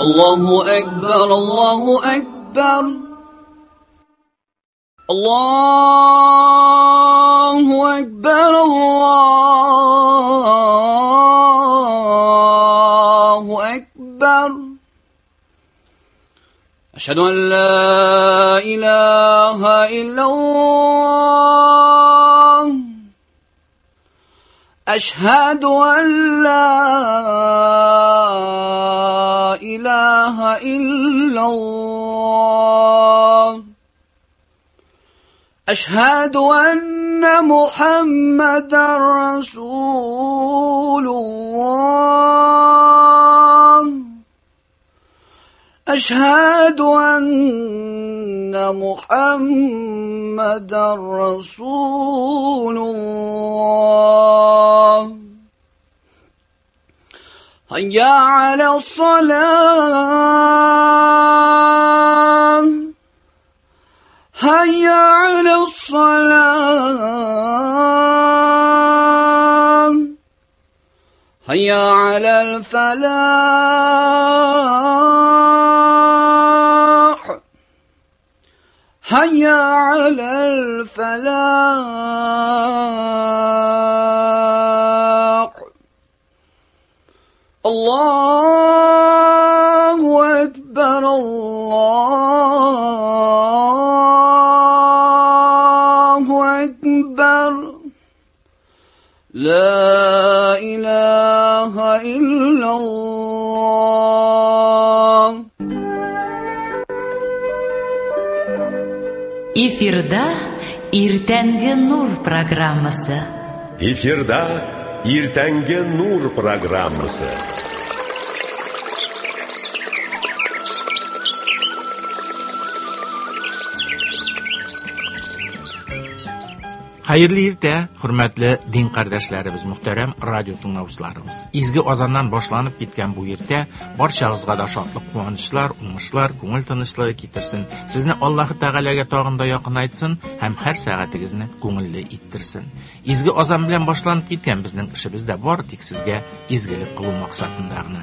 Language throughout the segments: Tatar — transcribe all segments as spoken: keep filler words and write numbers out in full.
الله أكبر الله أكبر الله أكبر الله أكبر أشهد أن لا إله إلا الله أشهد أن لا إله إلا الله أشهد أن محمدا رسول الله أشهد أن محمدا رسول الله هيا على الصلاة هيا على الصلاة هيا على الفلاح هيا على الفلاح الله أكبر الله أكبر لا إله إلا الله. Эфирда Иртәнге Нур программасы. Эфирда Иртәнге Нур программасы. Хәерле иртә, хөрмәтле дин кардәшләребез, мөхтәрәм радио тыңлаучыларыбыз. Изге азаннан башланып киткән бу иртә барчагызга да шатлык, куанычлар, уңышлар, күңел тынычлыгы китерсен. Сезне Аллаһы Тәгаләгә тагын да якынайтсын һәм һәр сәгатегезне күңелле иттерсен. Изге азан белән башланып киткән безнең эшебез дә бар тик сезгә изгелек кылу максатында гына.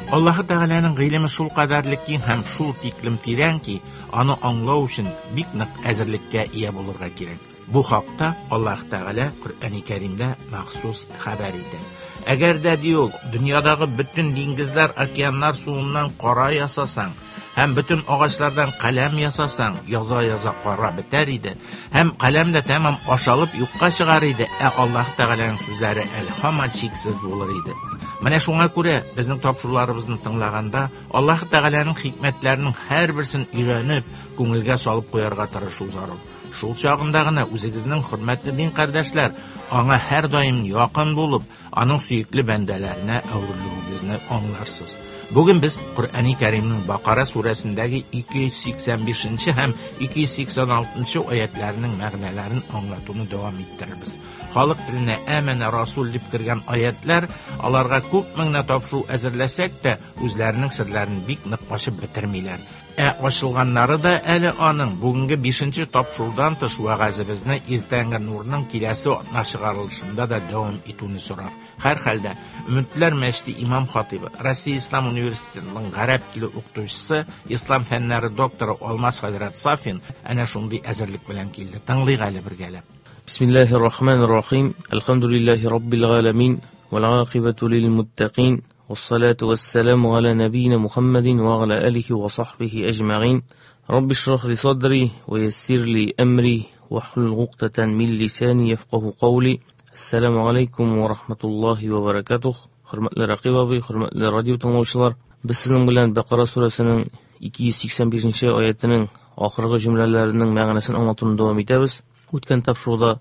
Аллаһы Тәгаләнең гыйлеме шул кадәрле киң һәм шул тиклем тирән ки, аны аңлау өчен бик нык әзерлеккә ия булырга кирәк. Бу хакта Аллаһ Тәгалә Коръәни Кәримдә махсус хәбәр итә. Әгәр дә ди ул, дөньядагы бөтен диңгезләр, океаннар суыннан кара ясасаң, һәм бөтен агачлардан каләм ясасаң, яза-яза кара бетәр иде, һәм каләм дә тәмам ашалып юкка чыгар иде, ә Аллаһ Тәгаләнең сүзләре әле һаман чиксез булыр иде. Менә шуңа күрә безнең тапшыруларыбызны тыңлаганда Аллаһ Тәгаләнең хикмәтләренең һәрберсен өйрәнеп, күңелгә салып куярга тырышу зарур. Шул чагында гына үзегезнең хөрмәтле дин кардәшләр аңа һәр даим якын булып, аның сөекле бәндәләренә әверелүегезне аңларсыз. Бүген без Коръәни Кәримнең Бакара сүрәсендәге ике йөз сиксән бишенче һәм ике йөз сиксән алтынчы аятларының мәгънәләрен аңлатуны дәвам иттерербез. Халык теленә Әмәнә Расул дип кергән аятлар аларга күп меңнә тапшыру әзерләсәк тә, үзләренең серләрен бик нык ачып бетермиләр. Ә ачылганнары да әле аның бүгенге бишенче тапшырудан тыш вәгазебезне Иртәнге Нурның киләсе атна чыгарылышында да дәвам итүне сорар. Һәр хәлдә Өметләр мәчете имам хатибы, Россия Ислам университетының гарәп теле укытучысы, ислам фәннәре докторы Алмаз хәзрәт Сафин әнә шундый әзерлек белән килде. Тыңлыйк әле бергәләп. Бисмиллаһир рахманир рахим. Әлхәмдүлиллаһи раббил галәмин вал акыбату лил муттакин. والصلاة والسلام على نبينا محمد وعلى آله وصحبه أجمعين. رب اشرح لي صدري ويسر لي أمري واحلل عقدة من لساني يفقه قولي. السلام عليكم ورحمة الله وبركاته. Хөрмәтле Рәкыйп абый, хөрмәтле радио тыңлаучылар, без сезнең белән Бакара сүрәсенең ике йөз сиксән бишенче аятының ахыргы җөмләләренең мәгънәсен аңлатуны дәвам итәбез. Үткән тапшыруда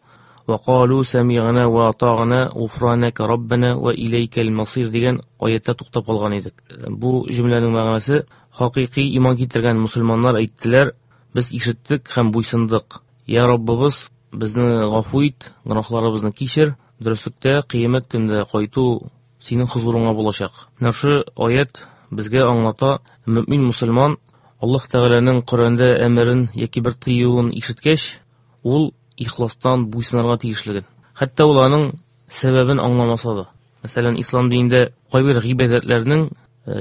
وقالوا سمعنا وأطعنا غفرانك ربنا وإليك المصير дигән аятта туктап калган идек. Бу җөмләнең мәгънәсе хакыйкый иман китергән мусульманнар әйттеләр: без ишеттек һәм буйсындык. Я Раббыбыз, безне гафу ит, гөнаһларыбызны кичер, дөреслектә кыямәт көндә кайту синең хозурыңа булачак. Менә шу аят безгә аңлата, мөмин мусульман Аллаһ Тәгаләнең Коръәндә әмерен яки бер тыюын ишеткәч, ул ихластан буйсынырга тиешлеген. Хәтта ул аның сәбәбен аңламаса да. Мәсәлән, ислам динендә кайбер гыйбадәтләрнең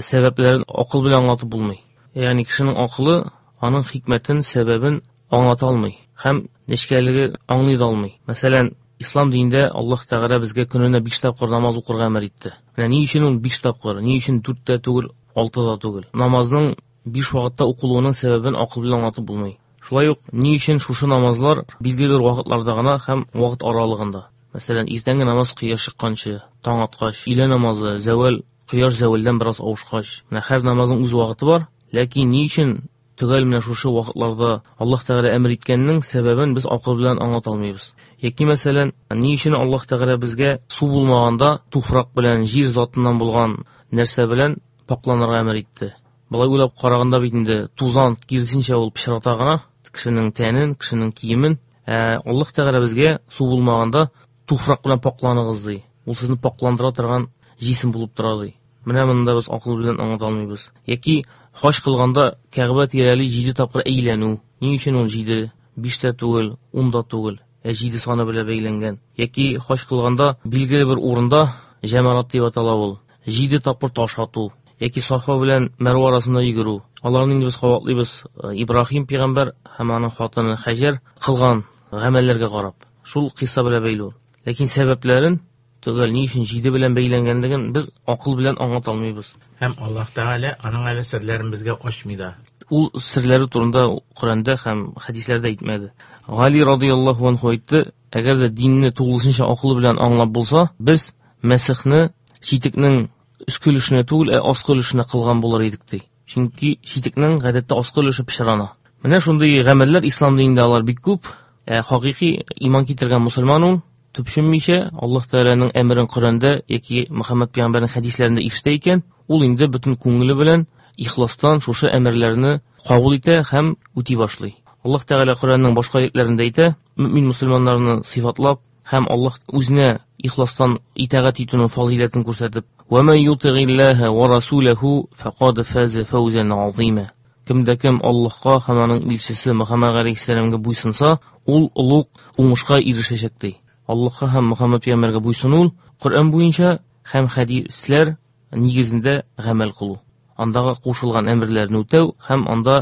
сәбәпләрен акыл белән аңлатып булмый. Ягъни кешенең акылы аның хикмәтен, сәбәбен аңлата алмый һәм нечкәлеге аңлый да алмый. Мәсәлән, ислам динендә Аллаһ Тәгалә безгә көненә биш тапкыр намаз укырга әмер итте. Менә ни өчен ул биш тапкыр, ни өчен дүрт тә түгел, алты да түгел? Намазның биш вакытта укылуының сәбәбен акыл белән аңлатып булмый. Шулай ук ни өчен шушы намазлар билгеле бер вакытларда гына һәм вакыт аралыгында? Мәсәлән, иртәнге намаз кояш чыкканчы, таң аткач, өйлә намазы зәвәл, кояш зәвәлдән бераз авышкач. Менә һәр намазның үз вакыты бар, ләкин ни өчен төгәл менә шушы вакытларда Аллаһ Тәгалә әмер иткәннең сәбәбен без акыл белән аңлата алмыйбыз. Яки мәсәлән, ни өчен Аллаһ Тәгалә безгә су булмаганда туфрак белән, җир затыннан булган нәрсә белән пакланырга әмер итте? Болай уйлап караганда бит инде тузан киресенчә ул пычрата гына кешенең тәнен, кешенең киемен. Ә Аллаһ Тәгалә безгә су булмаганда туфрак белән пакланыгыз ди. Ул сезне пакландыра торган җисем булып тора ди. Менә монда без акыл белән аңлата алмыйбыз. Яки хаҗ кылганда Кәгъбә тирәли җиде тапкыр әйләнү. Ни өчен ул җиде? Биш тә түгел, ун да түгел, ә җиде саны белән бәйләнгән. Яки хаҗ кылганда билгеле бер урында җәмәрат дип атала ул. Җиде тапкыр таш ату. Яки Сафа белән Мәрва арасында йөгерү. Аларны инде без кабатлыйбыз. Ибраһим пәйгамбәр һәм аның хатыны Хаҗәр кылган гамәлләргә карап. Шул кыйса белән бәйле ул. Ләкин сәбәпләрен төгәл ни өчен җиде белән бәйләнгәнлеген без акыл белән аңлата алмыйбыз. Һәм Аллаһ Тәгалә аның әле серләрен безгә ачмый да. Ул серләре турында Коръәндә һәм хәдисләрдә әйтмәде. Гали радыяллаһу анһу әйтте, әгәр дә динне тулысынча акыл белән аңлап булса, без Мәсихне читекнең өске өлешенә түгел, ә аскы өлешенә кылган булыр идек ди. Чөнки читекнең гадәттә аскы өлеше пычрана. Менә шундый гамәлләр ислам динендә алар бик күп. Ә хакыйкый иман китергән мусульман ул төпченмичә Аллаһ Тәгаләнең әмерен Коръәндә яки Мөхәммәд пәйгамбәрнең хәдисләрендә ишетә икән, ул инде бөтен күңеле белән ихластан шушы әмерләрне кабул итә һәм үти башлый. Аллаһ Тәгалә Коръәннең башка аятларында әйтә, мөмин мусульманнарны сыйфатлап һәм Аллаһ үзенә ихластан итагать итүнең фазыйләтен күрсәтеп, «Ва ман ютигиллаһа ва расулаху фақад фаза фавзан азима». Кемдә кем Аллаһка һәм аның илчесе Мөхәммәд галәйһиссәламгә буйсынса, ул олуг уңышка ирешәчәк ди. Аллаһка һәм Мөхәммәд пәйгамбәргә буйсыну Коръән буенча һәм хәдисләр нигезендә гамәл кылу. Андагы кушылган әмерләрне үтәү һәм анда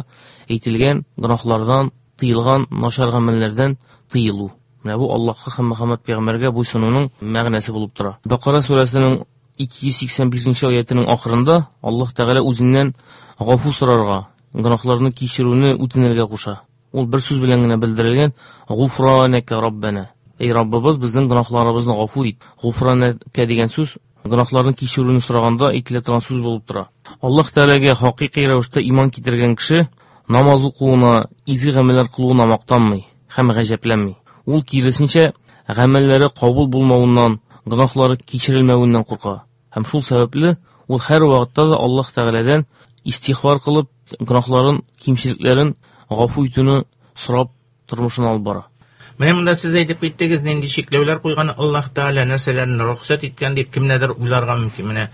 әйтелгән гөнаһлардан, тыелган начар гамәлләрдән тыелу. Менә бу Аллаһка һәм Мөхәммәд пәйгамбәргә буйсынуның мәгънәсе булып тора. Бакара сүрәсенең ике йөз сиксән бишенче аятының ахырында Аллаһ Тәгалә үзеннән гафу сорарга, гөнаһларны кичерүне үтенергә куша. Ул бер сүз белән генә белдерелгән: Гуфранaka Раббана. Эй Раббыбыз, безнең гөнаһларыбызны гафу ит. Гуфранaka дигән сүз гөнаһларны кичерүне сораганда әйтелә торган сүз булып тора. Аллаһ Тәгаләгә хакыйкый рәвештә иман китергән кеше намаз укуына, изге гамәлләр кылуына мактанмый һәм гаҗәпләнми. Ул киресенчә гамәлләре кабул булмавыннан, гөнаһлары кичерелмәвеннән курка. Һәм шул сәбәпле ул һәр вакытта да Аллаһ Тәгаләдән истигъфар кылып, гөнаһларын, кимчелекләрен гафу итүне сорап тормышын алып бара. Менә монда сез әйтеп киттегез, нинди чикләүләр куйган Аллаһ Тәгалә, нәрсәләрне рөхсәт иткән дип кемнәрдер уйларга мөмкин. Менә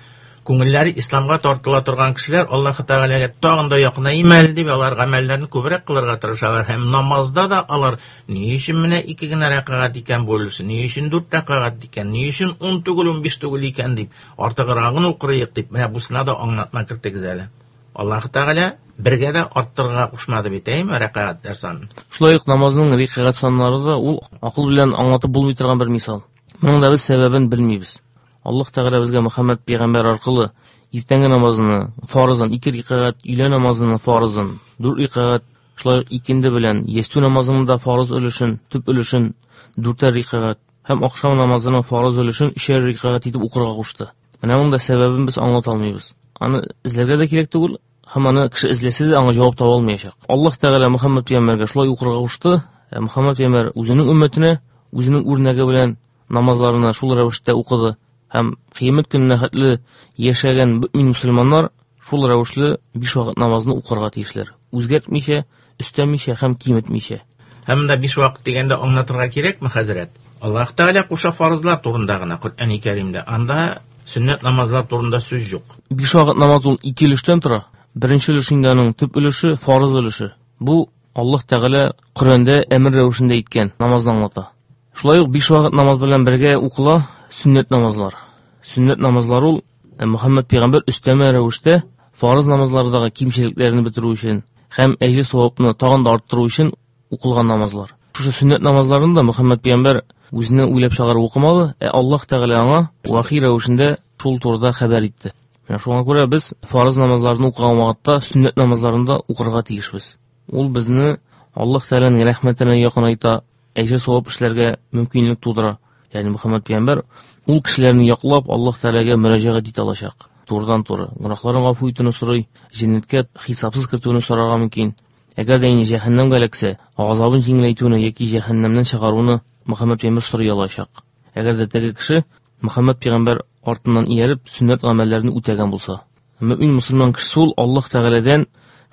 күңелләре исламга тартыла торган кешеләр Аллаһ Тәгаләгә тагын да якынайым әле дип алар гамәлләрен күбрәк кылырга тырышалар. Һәм намазда да алар ни өчен менә ике генә рәкәгать икән бу өлеше, ни өчен дүрт рәкәгать икән, ни өчен ун түгел, унбиш түгел икән дип артыграгын укырыйк дип, менә бусына да аңлатма кертегез әле. Аллаһ Тәгалә бергә дә арттырырга кушмады бит, әйме, рәкәгатьләр санын. Шулай ук намазның рәкәгать саннары да ул акыл белән аңлатып булмый торган бер мисал. Моның да без сәбәбен белмибез. Аллаһ Тәгалә безгә Мөхәммәд пәйгамбәр аркылы иртәнге намазны фарызын ике рәкәгать, өйлә намазының фарызын дүрт рәкәгать, шулай ук икенде белән ястү намазының да фарыз өлешен, төп өлешен дүртәр рәкәгать һәм ахшам намазының фарыз өлешен өчәр рәкәгать итеп укырга кушты. Менә моның да сәбәбен без аңлата алмыйбыз. Аны эзләргә дә кирәк түгел, һәм аны кеше эзләсә дә аңа җавап таба алмаячак. Аллаһ Тәгалә Мөхәммәд пәйгамбәргә шулай укырга кушты. Ә Мөхәммәд пәйгамбәр үзенең өммәтенә, үзенең үрнәге белән намазларына шул рәвештә укыды. Һәм кыямәт көненә хәтле яшәгән мөмин мусульманнар шул рәвешле биш вакыт намазны укырга тиешләр. Үзгәртмичә, өстәмичә һәм киметмичә. Һәм дә биш вакыт дигәндә аңлатырга кирәкме, хәзрәт? Аллаһ Тәгалә куша фарызлар турында гына Коръәни Кәримдә. Анда сөннәт намазлар турында сүз юк. Биш вакыт намаз ул ике өлештән тора. Беренче өлеше инде аның төп өлеше, фарыз өлеше. Бу Аллаһ Тәгалә Коръәндә әмер рәвешендә әйткән намазны аңлата. Шулай ук биш вакыт намаз белән бергә укыла сөннәт намазлар. Сөннәт намазлар ул Мөхәммәд пәйгамбәр өстәмә рәвештә фарыз намазлардагы кимчелекләрне бетерү өчен һәм әҗер савапны тагын да арттыру өчен укылган намазлар. Шушы сөннәт намазларын да Мөхәммәд пәйгамбәр үзенә уйлап чыгарып укымады, ә Аллаһ Тәгалә аңа вахи рәвешендә шул турыда хәбәр итте. Менә шуңа күрә без фарыз намазларны укыган вакытта сөннәт намазларын да укырга тиешбез. Ул безне Аллаһ Тәгаләнең рәхмәтенә якынайта, әҗер савап эшләргә мөмкинлек тудыра. Ягъни Мөхәммәд пәйгамбәр ул кешеләрне яклап Аллаһ Тәгаләгә мөрәҗәгать итә алачак. Турыдан-туры гөнаһларын гафу итүне сорый, җәннәткә хисапсыз кертүне сорарга мөмкин. Әгәр дә инде җәһәннәмгә эләксә, газабын җиңеләйтүне яки җәһәннәмнән чыгаруны Мөхәммәд пәйгамбәр сорый алачак. Әгәр дә теге кеше Мөхәммәд пәйгамбәр артыннан ияреп сөннәт гамәлләрен үтәгән булса. Мөмин мөселман кеше ул Аллаһ Тәгаләдән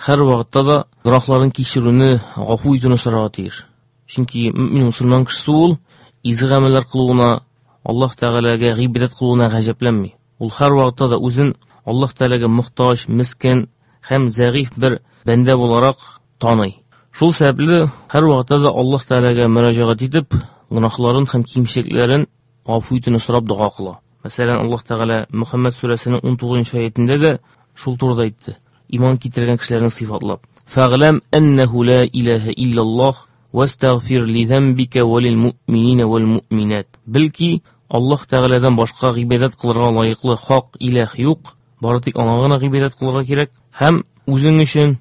һәр вакытта да гөнаһларын кичерүне, гафу итүне сорарга тиеш. Чөнки мөмин мөселман кеше ул изге гамәлләр кылуына, Аллаһ Тәгаләгә гыйбадәт кылуына гаҗәпләнми. Ул һәр вакытта да үзен Аллаһ Тәгаләгә мохтаҗ, мискен һәм зәгыйфь бер бәндә буларак таный. Шул сәбәпле һәр вакытта да Аллаһ Тәгаләгә мөрәҗәгать итеп, гөнаһларын һәм кимчелекләрен гафу итүне сорап дога кыла. Мәсәлән, Аллаһ Тәгалә Мөхәммәд сүрәсенең ун тугызынчы аятендә дә шул турыда әйтте. Иман китергән кешеләрне сыйфатлап: "Фәгъләм әннәһу ла илаһа иллаллаһ вастагфир ли замбика ва лил муъминина вал муъминат." Бел ки, Аллаһ Тәгаләдән башка гыйбадәт кылырга лаеклы хак илаһ юк, бары тик аңа гына гыйбадәт кылырга кирәк һәм үзең өчен,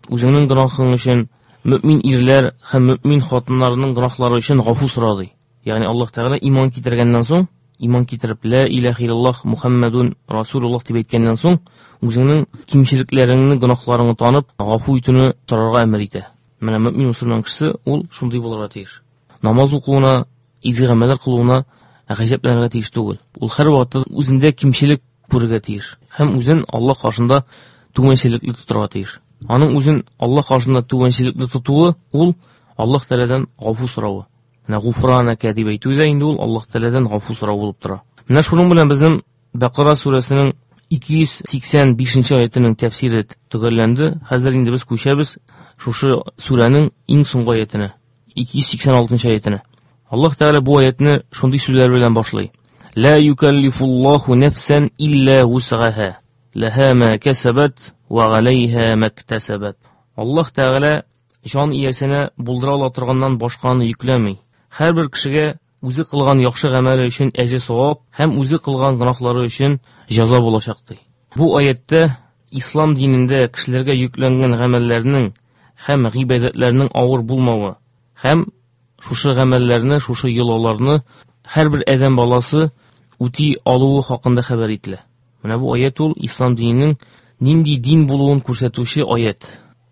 үзеңнең гөнаһың өчен мөмин ирләр һәм мөмин хатыннарның гөнаһлары өчен гафу сора ди. Ягъни Аллаһ Тәгалә иман китергәннән соң, иман китереп ла илаһа иллаллаһ Мухаммадун Расулуллаһ дип әйткәннән соң, үзеңнең кимчелекләреңне, гөнаһларыңны танып, гафу итүне сорарга әмер итә. Менә мөмин мөселман кешесе ул шундый булырга тиеш. Намаз укуына, изге гамәлләр кылуына гаҗәпләнергә тиеш түгел. Ул һәр вакытта үзендә кимчелек күрергә тиеш һәм үзен Аллаһ каршында түбәнчелекле тотарга тиеш. Аның үзен Аллаһ каршында түбәнчелекле тотуы ул Аллаһ Тәгаләдән гафу соравы. Менә гуфранака дип әйтү дә инде ул Аллаһ Тәгаләдән гафу сорау булып тора. Менә шуның белән безнең Бакара сүрәсенең ике йөз сиксән бишенче аятының тәфсире төгәлләнде. Хәзер инде без күчәбез шушы сүрәнең иң соңгы аятына, ике йөз сиксән алтынчы аятына. Аллаһ Тәгалә бу аятны шундый сүзләр белән башлый: "Ла юкаллифуллаһу нафсан илля вусгаһа, лаһа ма касабат ва галайһа мактасабат." Аллаһ Тәгалә җан иясенә булдыра ала торганнан башканы йөкләми. Һәрбер кешегә үзе кылган яхшы гамәле өчен әҗер савап һәм үзе кылган гөнаһлары өчен җәза булачак ди. Бу аятта ислам динендә кешеләргә йөкләнгән гамәлләрнең һәм гыйбадәтләрнең авыр булмавы һәм шушы гамәлләрне, шушы йолаларны һәрбер адәм баласы үти алуы хакында хәбәр ителә. Менә бу аят ул ислам диненең нинди дин булуын күрсәтүче аят.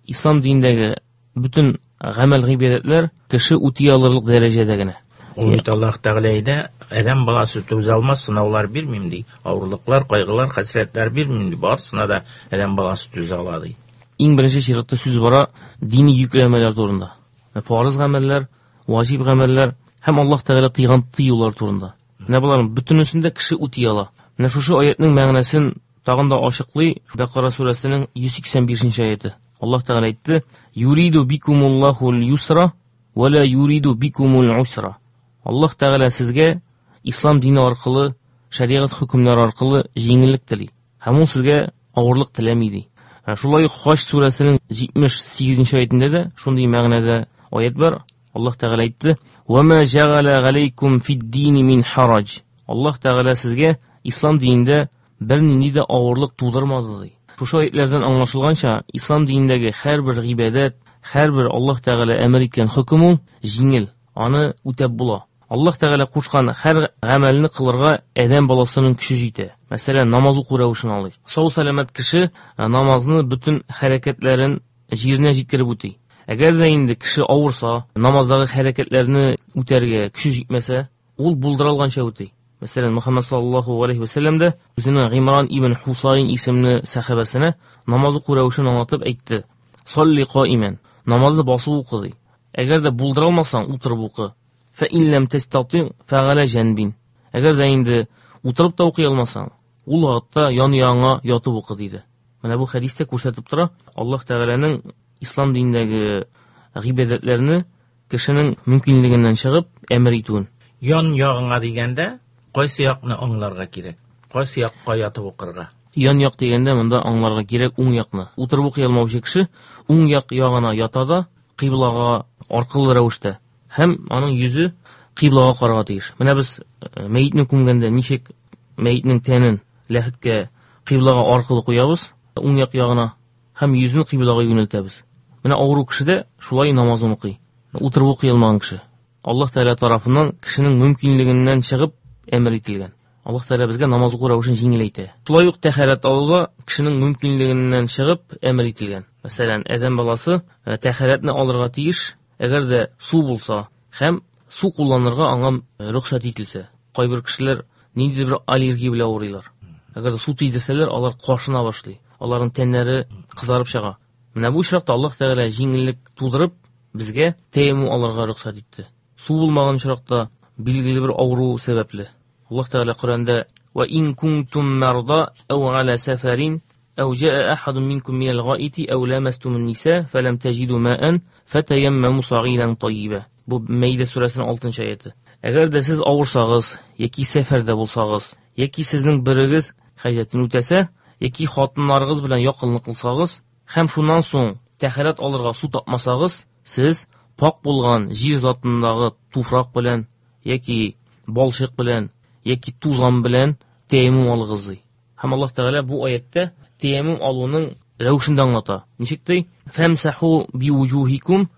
Ислам динендәге бөтен гамәл гыйбадәтләр кеше үти алырлык дәрәҗәдә генә. Ул бит Аллаһ Тәгалә әйтә, адәм баласы түзә алмас сынаулар бирмим ди, авырлыклар, кайгылар, хәсрәтләр бирмим ди, барысына да адәм баласы түзә ала ди. Иң беренче чиратта сүз бара дини йөкләмәләр турында. Фарыз гамәлләр, ваҗиб гамәлләр һәм Аллаһ Тәгалә тыйган тыюлар турында. Менә боларның бөтенесен дә кеше үти ала. Менә шушы аятның мәгънәсен тагын да ачыклый Бакара сүрәсенең йөз сиксән бишенче аяты. Аллаһ Тәгалә әйтте: "Юриду бикумуллахул юсра ва ла юриду бикумул усра." Аллаһ Тәгалә сезгә ислам дине аркылы, шәригать хөкемнәре аркылы җиңеллек тели. Һәм ул сезгә авырлык теләми ди. Шулай ук Хаҗ сүрәсенең җитмеш сигезенче аятендә дә шундый мәгънәдә аят бар. Аллаһ Тәгалә әйтте: "Ва ма җәгалә галәйкум фид-дини мин хараҗ." Аллаһ Тәгалә сезгә ислам динендә бернинди дә авырлык тудырмады ди. Шушы аятлардан аңлашылганча, ислам динендәге һәрбер гыйбадәт, һәрбер Аллаһ Тәгалә әмер иткән хөкем ул җиңел, аны үтәп була. Аллаһ Тәгалә кушкан һәр гамәлне кылырга адәм баласының көче җитә. Мәсәлән, намаз уку рәвешен алыйк. Сау сәламәт кеше намазны бөтен хәрәкәтләрен җиренә җиткереп үти. Әгәр дә инде кеше авырса, намаздагы хәрәкәтләрне үтәргә көче җитмәсә, ул булдыра алганча үти. Мәсәлән, Мөхәммәд саллаллаһу алейһи ва сәлләм дә үзенең Гыймран ибн Хусайн исемле сәхабәсенә намаз уку рәвешен аңлатып әйтте: "Салли каиман", намазны басып укы ди. Әгәр дә булдыра алмасаң, утырып укы. Фә ин ләм тәстати фәгалә җәнбин. Әгәр дә инде утырып та укый алмасаң, ул вакытта ян-яңа ятып укы диде. Менә бу хәдистә күрсәтеп тора, Аллаһ Тәгаләнең ислам динендәге гыйбадәтләрне кешенең мөмкинлегеннән чыгып әмер итүен. Ян ягыңа дигәндә, кайсы якны аңларга кирәк? Кайсы якка ятып укырга? Ян як дигәндә монда аңларга кирәк уң якны. Утырып укый алмаучы кеше уң як ягына ята да кыйблага аркылы рәвештә һәм аның йөзе кыйблага карарга тиеш. Менә без мәетне күмгәндә ничек мәетнең тәнен ләхеткә кыйблага аркылы куябыз, уң як ягына һәм йөзен кыйблага юнәлтәбез. Менә авыру кеше дә шулай намазын укый. Утырып укый алмаган кеше. Аллаһ Тәгалә тарафыннан кешенең мөмкинлегеннән чыгып әмер ителгән. Аллаһ Тәгалә безгә намаз уку рәвешен җиңеләйтә. Шулай ук тәһарәт алу да кешенең мөмкинлегеннән чыгып әмер ителгән. Мәсәлән, адәм баласы тәһарәтне алырга тиеш, әгәр дә су булса һәм су кулланырга аңа рөхсәт ителсә. Кайбер кешеләр ниндидер бер аллергия белән авырыйлар. Әгәр дә су тидерсәләр, алар кашына башлый. Аларның тәннәре кызарып чыга. Менә бу очракта Аллаһ Тәгалә җиңеллек тудырып, безгә тәяммум алырга рөхсәт итте. Су булмаган очракта билгеле бер авыру сәбәпле. Аллаһ Тәгалә Коръәндә: "Ва ин кунтум марда ау аля сафарин ау жаа ахадун минкум минал гаити ау ламастумун ниса фалам таҗиду маан фатаяммаму сагидан тайиба." Бу Мәйдә сүрәсенең алтынчы аяты. Әгәр дә сез авырсагыз яки сәфәрдә булсагыз, яки сезнең берегез хаҗәтен үтәсә, яки хатыннарыгыз белән якынлык кылсагыз һәм шуннан соң тәһарәт алырга су тапмасагыз, сез пак булган җир затындагы туфрак белән яки балчык белән яки тузан белән тәяммум алыгыз ди. Һәм Аллаһ Тәгалә бу аятта тәяммум алуның рәвешен дә аңлата. Ничек ди? Фамсаху бивуҗухикум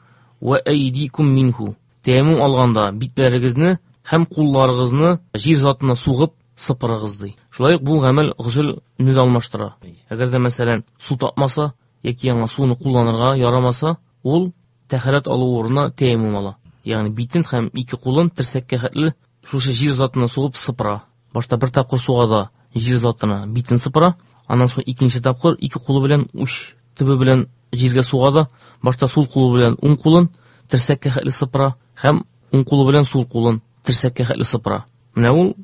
ва айдикум минху. Тәяммум алганда битләрегезне һәм кулларыгызны җир затына сугып сыпырыгыз ди. Шулай ук бу гамәл госел-не дә алмаштыра. Әгәр дә мәсәлән су тапмаса яки яңа суны кулланырга ярамаса, ул тәһарәт алу урынына тәяммум ала. Ягъни битен һәм ике кулын терсәккә хәтле шушы җир затына сугып сыпыра. Башта бер тапкыр суга да җир затына битен сыпыра, аннан соң икенче тапкыр ике кулы белән уч төбе белән җиргә суга да, башта сул кулы белән уң кулын терсәккә хәтле сыпыра һәм уң кулы белән сул кулын терсәккә хәтле сыпыра. Менә ул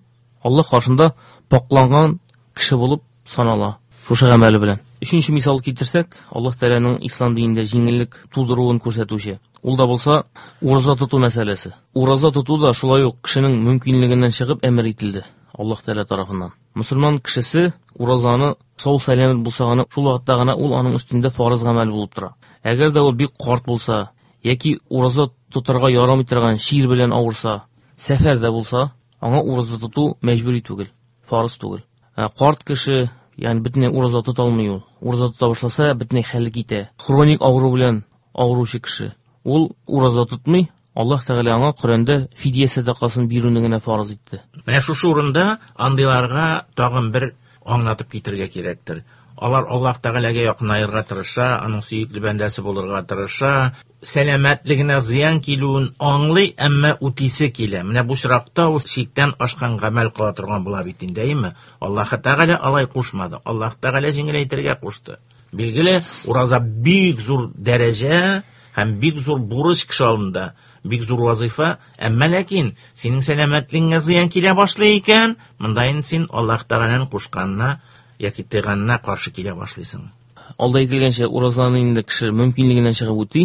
Аллаһ каршында пакланган кеше булып санала шушы гамәле белән. Өченче мисал китерсәк, Аллаһ Тәгаләнең ислам динендә җиңеллек тудыруын күрсәтүче. Ул да булса ураза тоту мәсьәләсе. Ураза тоту да шулай ук кешенең мөмкинлегеннән чыгып әмер ителде Аллаһ Тәгалә тарафыннан. Мөселман кешесе уразаны сау сәламәт булса гына, шул вакытта гына ул аның өстендә фарыз гамәл булып тора. Әгәр дә ул бик карт булса яки ураза тотарга ярамый торган чир белән авырса, сәфәрдә булса, аңа ураза тоту мәҗбүри түгел, фарыз түгел. Ә карт кеше, ягъни бөтенләй ураза тота алмый ул. Ураза тота башласа, бөтенләй хәле китә. Хроник авыру белән авыручы кеше, ул ураза тотмый. Аллаһ Тәгалә аңа Коръәндә фидия сәдакасын бирүне генә фарыз итте. Менә шушы урында андыйларга тагын бер аңлатып китергә кирәктер. Алар Аллаһ Тәгаләгә якынаерга тырыша, аның сөекле бәндәсе булырга тырыша, сәламәтлегенә зыян килүен аңлый, әмма үтисе килә. Менә бу очракта ул чиктән ашкан гамәл кыла торган була бит инде, әйеме? Аллаһ Тәгалә алай кушмады. Аллаһ Тәгалә җиңеләйтергә кушты. Билгеле, ураза бик зур дәрәҗә һәм бик зур бурыч кеше алдында, бик зур вазифа, әмма ләкин синең сәламәтлегеңә зыян килә башлый икән, монда инде син Аллаһ Тәгаләнең кушканына яки тыйганына каршы килә башлыйсың. Алда әйтелгәнчә, уразаны инде кеше мөмкинлегеннән чыгып үти.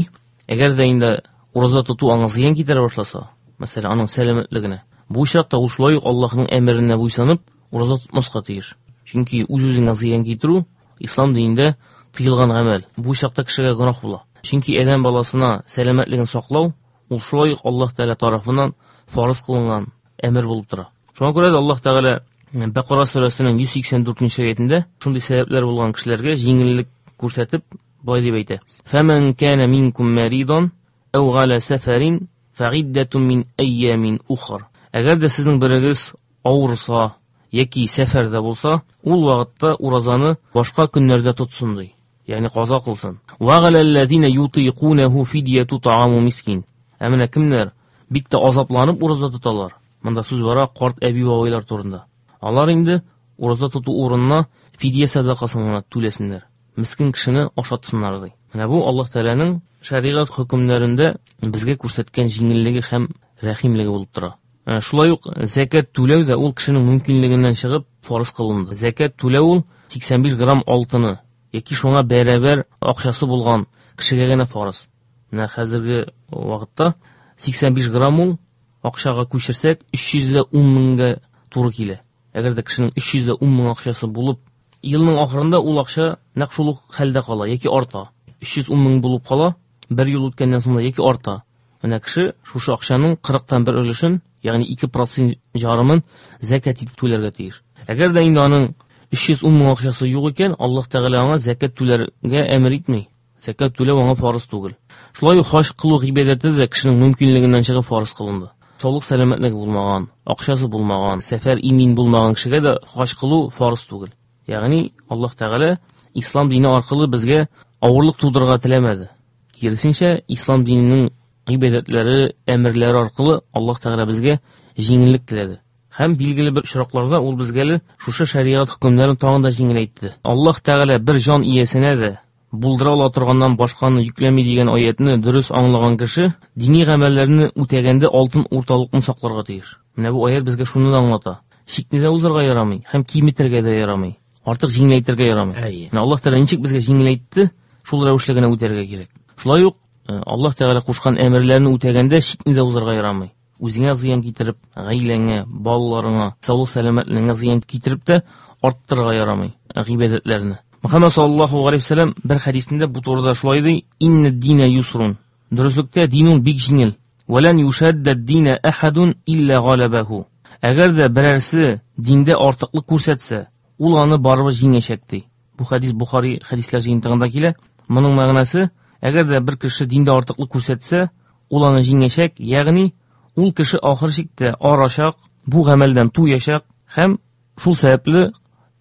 Әгәр дә инде ураза тоту аңа зыян китерә башласа, мәсәлән, аның сәламәтлегенә, бу очракта ул шулай ук Аллаһның әмеренә буйсынып ураза тотмаска тиеш. Чөнки үз-үзеңә зыян китерү ислам динендә тыелган гамәл. Бу очракта кешегә гөнаһ була. Чөнки адәм баласына сәламәтлеген саклау ул шулай ук Аллаһ Тәгалә тарафыннан фарыз кылынган әмер булып тора. Шуңа күрә дә Аллаһ Тәгалә Бәкара сүрәсенең йөз сиксән дүртенче аятендә шундый сәбәпләр булган кешеләргә җиңеллек күрсәтеп болай дип әйтә: "Фәмән кана минкум маридан ау галя сәфәрин фәгиддәтун мин айямин ухар." Әгәр дә сезнең берегез авырса яки сәфәрдә булса, ул вакытта уразаны башка көннәрдә тотсын ди. Ягъни каза кылсын. Ва галәлләзина ютыйкунаху фидияту тааму мискин. Ә менә кемнәр бик тә азапланып ураза тоталар? Монда сүз бара карт әби бабайлар турында. Алар инде ураза тоту урынына фидия сәдакасын гына түләсеннәр. Мискин кешене ашатсыннар ди. Менә бу Аллаһ Тәгаләнең шәригать хөкемнәрендә безгә күрсәткән җиңеллеге һәм рәхимлеге булып тора. Шулай ук зәкят түләү дә ул кешенең мөмкинлегеннән чыгып фарыз кылынды. Зәкят түләү ул сиксән биш грамм алтыны яки шуңа бәрабәр акчасы булган кешегә генә фарыз. Менә хәзерге вакытта сиксән биш грамм ул Акчага күчерсәк, өч йөз дә ун меңгә туры килә. Әгәр дә кешенең өч йөз дә ун мең акчасы булып, елның ахырында ул акча нәкъ шул ук хәлдә кала яки арта. Өч йөз ун мең булып кала, бер ел үткәннән соң да яки арта. Менә кеше шушы акчаның кырыктан бер өлешен, ягъни ике процент ярымын зәкят итеп түләргә тиеш. Әгәр дә инде аның өч йөз ун мең акчасы юк икән, Аллаһ Тәгалә аңа зәкят түләргә әмер итми. Зәкят түләү аңа фарыз түгел. Шулай ук хаҗ кылу гыйбадәте дә кешенең мөмкинлегеннән чыгып фарыз кылынды. Саулык сәламәтлеге булмаган, акчасы булмаган, сәфәр имин булмаган кешегә дә хаҗ кылу фарыз түгел. Ягъни Аллаһ Тәгалә ислам дине аркылы безгә авырлык тудырырга теләмәде. Киресенчә, ислам диненең гыйбадәтләре, әмерләре аркылы Аллаһ Тәгалә безгә җиңеллек теләде. Һәм билгеле бер очракларда ул безгә әле шушы шәригать хөкемнәрен тагын да җиңеләйтте. Аллаһ Тәгалә бер җан иясенә дә булдыра ала торганнан башканы йөкләми дигән аятны дөрес аңлаган кеше дини гамәлләрне үтәгәндә алтын урталыкны сакларга тиеш. Менә бу аят безгә шуны да аңлата. Чикне дә узарга ярамый һәм киметергә дә ярамый. Артык җиңеләйтергә ярамый. Менә Аллаһ Тәгалә ничек безгә җиңеләйтте, шул рәвешле генә үтәргә кирәк. Шулай ук Аллаһ Тәгалә кушкан әмерләрне үтәгәндә чикне дә узарга ярамый. Үзеңә зыян китереп, гаиләңә, балаларыңа, саулык сәламәтлегеңә зыян китереп тә арттырырга ярамый гыйбадәтләрне. Мөхәммәд саллаллаһу галәйһи ва сәлләм бер хәдисендә бу турыда шулай ди: "Инна дина юсрун." Дөреслектә дин ул бик җиңел. "Валан юшадда дина ахадун илля галабаху." Әгәр дә берәрсе диндә артыклык күрсәтсә, ул аны барыбер җиңәчәк ди. Бу хәдис Бухари хәдисләр җыентыгында килә. Моның мәгънәсе, әгәр дә бер кеше диндә артыклык күрсәтсә, ул аны җиңәчәк, ягъни ул кеше ахыр чиктә арачак, бу гамәлдән туячак һәм шул сәбәпле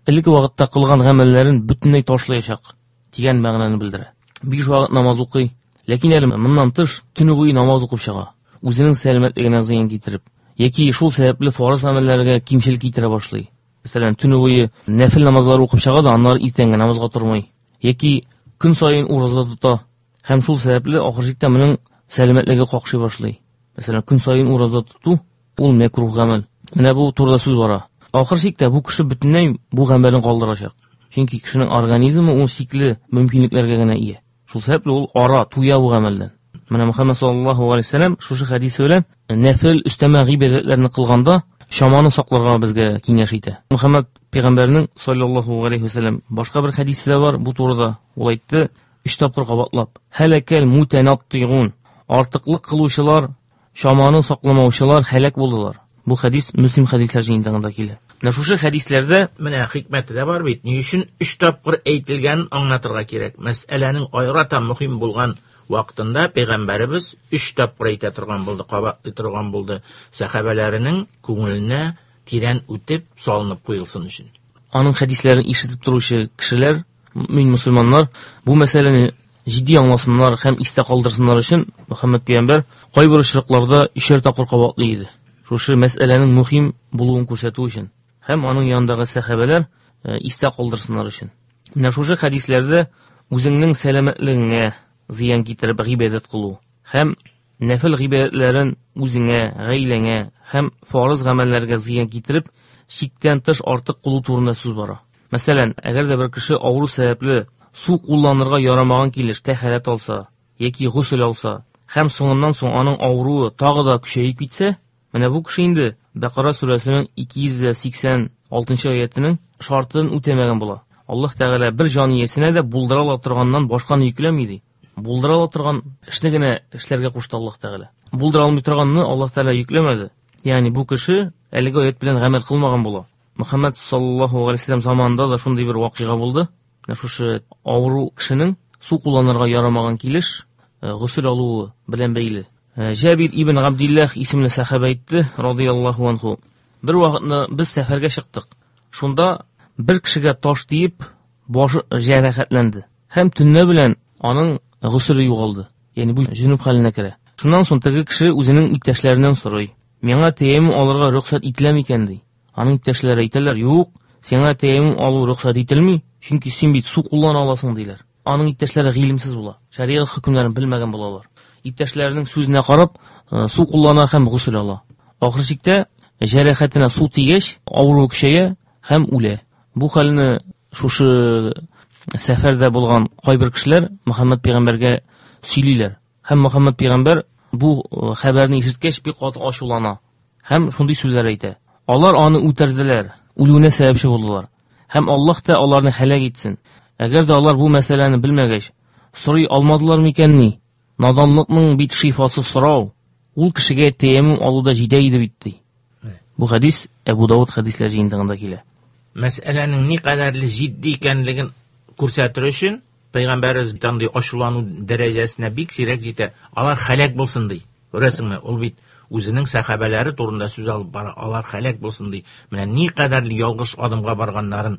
элекке вакытта кылган гамәлләрен бөтенләй ташлаячак дигән мәгънәне белдерә. Биш вакыт намаз укый, ләкин әле моннан тыш төне буе намаз укып чыга, үзенең сәламәтлегенә зыян китереп, яки шул сәбәпле фарыз гамәлләргә кимчелек китерә башлый. Мәсәлән, төне буе нәфил намазлары укып чыга да, аннары иртәнге намазга тормый, яки көн саен ураза тота һәм шул сәбәпле ахыр чиктә моның сәламәтлеге какшый башлый. Мәсәлән, көн саен ураза тоту ул мәкруһ гамәл. Менә бу турыда сүз бара. Ахыр чиктә бу кеше бөтенләй бу гамәлен калдырачак. Чөнки кешенең организмы ул чикле мөмкинлекләргә генә ия. Шул сәбәпле ул ара, туя бу гамәлдән. Менә Мөхәммәд саллаллаһу галәйһи ва сәлләм шушы хәдисе белән нәфил өстәмә гыйбадәтләрне кылганда чаманы сакларга безгә киңәш итә. Мөхәммәд пәйгамбәрнең саллаллаһу галәйһи ва сәлләм башка бер хәдисе дә бар бу турыда. Ул әйтте, өч тапкыр кабатлап: "Һәлакәл мутанаттигун." Артыклык кылучылар, чаманы сакламаучылар һәлак булдылар. Бу хәдис Мөслим хәдисләр җыентыгында килә. Менә шушы хәдисләрдә менә хикмәте дә бар бит. Ни өчен өч тапкыр әйтелгәнен аңлатырга кирәк. Мәсьәләнең аерата мөһим булган вакытында пәйгамбәребез өч тапкыр әйтә торган булды, кабатлый торган булды. Сәхабәләренең күңеленә тирән үтеп салынып куелсын өчен. Аның хәдисләрен ишетеп торучы кешеләр, мөмин мөселманнар бу мәсьәләне җитди аңласыннар һәм истә калдырсыннар өчен Мөхәммәд пәйгамбәр кайбер очракларда өчәр тапкыр кабатлый иде. Шушы мәсьәләнең мөһим булуын күрсәтү өчен һәм аның янындагы сәхабәләр истә калдырсыннар өчен. Менә шушы хәдисләрдә үзеңнең сәламәтлегеңә зыян китереп гыйбадәт кылу һәм нәфил гыйбадәтләрен үзеңә, гаиләңә һәм фарыз гамәлләргә зыян китереп чиктән тыш артык кылу турында сүз бара. Мәсәлән, әгәр дә бер кеше авыру сәбәпле су кулланырга ярамаган килеш тәһарәт алса яки госел алса һәм соңыннан соң аның авыруы тагы да көчәеп китсә, менә бу кеше инде Бәкара сүрәсенең ике йөз сиксән алтынчы аятының шартын үтәмәгән була. Аллаһ Тәгалә бер җан иясенә дә булдыра ала торганнан башканы йөкләми ди. Булдыра ала торган эшне генә эшләргә кушты Аллаһ Тәгалә. Булдыра алмый торганны Аллаһ Тәгалә йөкләмәде. Ягъни бу кеше әлеге аят белән гамәл кылмаган була. Мөхәммәд саллаллаһу галәйһи ва сәлләм заманында да шундый бер вакыйга булды. Менә шушы авыру кешенең су кулланырга ярамаган килеш госел алуы белән бәйле. Җабир ибн Габдиллах исемле сәхабә әйтте, радыяллаһу анху. Бер вакытны без сәфәргә чыктык. Шунда бер кешегә таш тиеп, башы җәрәхәтләнде. Һәм төнлә белән аның госеле югалды. Ягъни бу җүнүб хәленә керә. Шуннан соң теге кеше үзенең иптәшләреннән сорый: "Миңа тәяммум алырга рөхсәт ителә микән?" ди. Аның иптәшләре әйтәләр: "Юк, сиңа тәяммум алу рөхсәт ителми, чөнки син бит су куллана аласың", диләр. Аның иптәшләре гыйлемсез була, шәригать хөкемнәрен белмәгән булалар. Иптәшләренең сүзенә карап, су куллана һәм госел ала. Ахыр чиктә җәрәхәтенә су тигәч, авыру көчәя һәм үлә. Бу хәлне шушы сәфәрдә булган кайбер кешеләр Мөхәммәд пәйгамбәргә сөйлиләр. Һәм Мөхәммәд пәйгамбәр бу хәбәрне ишеткәч бик каты ачулана һәм шундый сүзләр әйтә. Алар аны үтерделәр, үлүенә сәбәпче булдылар. Һәм Аллаһ та аларны һәлак итсен. Әгәр дә алар бу мәсьәләне белмәгәч, сорый алмадылар микәнни? Наданлыкның бит шифасы сорау. Ул кешегә тәяммум алуда җитә иде бит, ди. Бу хәдис Әбу Давыд хәдисләр җыентыгында килә. Мәсьәләнең ни кадәрле җитди икәнлеген күрсәтер өчен Пәйгамбәребез андый ачулану дәрәҗәсенә бик сирәк җитә. Алар һәлак булсын ди. Күрәсеңме? Ул бит үзенең сәхабәләре турында сүз алып бара. Алар һәлак булсын ди. Менә ни кадәрле ялгыш адымга барганнарын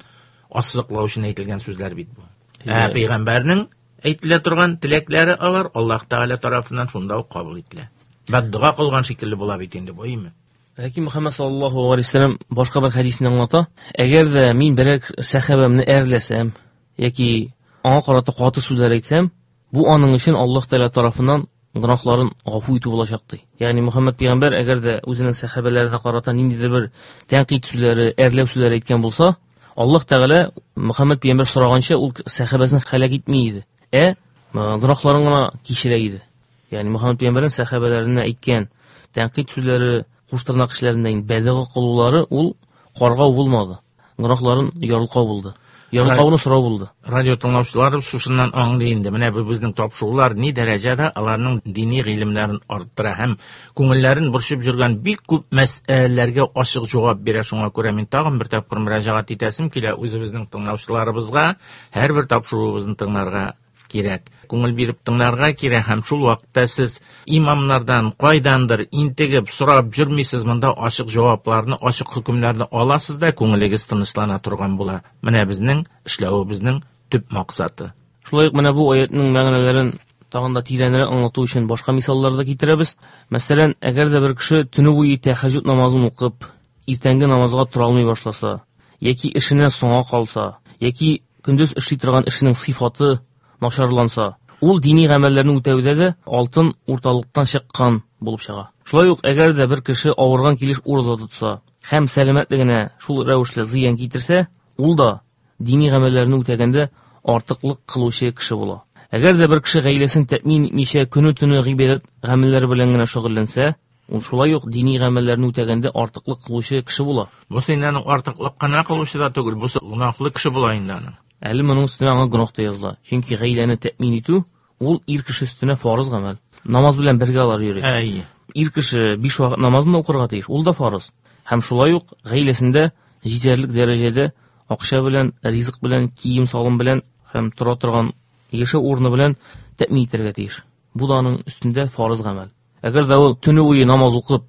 ассызыклау өчен әйтелгән сүзләр бит бу. Ә пәйгамбәрнең әйтелә торган теләкләре алар Аллаһ Тәгалә тарафыннан шунда ук кабул ителә. Бәддуга кылган шикелле була бит инде бу, әйме? Ләкин Мөхәммәд саллаллаһу алейһи ва сәлләм башка бер хәдисне аңлата. Әгәр дә мин берәр сәхабәмне әрләсәм яки аңа карата каты сүзләр әйтсәм, бу аның өчен Аллаһ Тәгалә тарафыннан гөнаһларын гафу итү булачак, ди. Ягъни Мөхәммәд пәйгамбәр әгәр дә үзенең сәхабәләренә карата ниндидер бер тәнкыйть сүзләре, әрләү сүзләре әйткән булса, Аллаһ Тәгалә Мөхәммәд пәйгамбәр сораганча ул сәхабәсен һәлак итми иде. Ә гөнаһларын гына кичерә иде. Ягъни Мөхәммәд пәйгамбәрнең сәхабәләренә әйткән тәнкыйть сүзләре, куштырнак кешеләреннән бәдыга кылулары ул каргау булмады. Гөнаһларын ярылкау булды. Ярылкауны сорау булды. Радио тыңлаучылар шушыннан аңлый инде. Менә бу безнең тапшырулар ни дәрәҗәдә аларның дини гыйлемнәрен арттыра һәм күңелләрен борчып йөргән бик күп мәсьәләләргә ачык җавап бирә. Шуңа күрә мин тагын бер тапкыр мөрәҗәгать итәсем килә үзебезнең тыңлаучыларыбызга, һәрбер тапшыруыбызны тыңларга кирәк. Күңел биреп тыңларга кирәк һәм шул вакытта сез имамнардан кайдандыр интегеп сорап йөрмисез, монда ачык җавапларны, ачык хөкемнәрне аласыз да күңелегез тынычлана торган була. Менә безнең эшләвебезнең төп максаты. Шулай ук менә бу аятның мәгънәләрен тагын да тирәнрәк аңлату өчен башка мисаллар да китерәбез. Мәсәлән, әгәр дә бер кеше төне буе тәһәҗҗүд намазын укып, иртәнге намазга тора алмый башласа, яки эшенә соңа калса, яки көндез эшли торган эшенең сыйфаты начарланса, ул дини гамәлләрне үтәүдә дә алтын урталыктан чыккан булып чыга. Шулай ук әгәр дә бер кеше авырган килеш ураза тотса һәм сәламәтлегенә шул рәвешле зыян китерсә, ул да дини гамәлләрне үтәгәндә артыклык кылучы кеше була. Әгәр дә бер кеше гаиләсен тәэмин итмичә көне-төне гыйбадәт гамәлләре белән генә шөгыльләнсә, ул шулай ук дини гамәлләрне үтәгәндә артыклык кылучы кеше була. Бу синнән артыклык кына кылучы да түгел, бу гөнаһлы кеше була инде аның. Әле моның өстенә аңа гөнаһ та языла. Чөнки гаиләне тәэмин итү ул ир кеше өстенә фарыз гамәл. Намаз белән бергә алар йөри. Әйе. Ир кеше биш вакыт намазын да укырга тиеш, ул да фарыз. Һәм шулай ук гаиләсендә җитәрлек дәрәҗәдә акча белән, ризык белән, кием-салым белән һәм тора торган яшәү урыны белән тәэмин итәргә тиеш. Бу да аның өстендә фарыз гамәл. Әгәр дә ул төне буе намаз укып,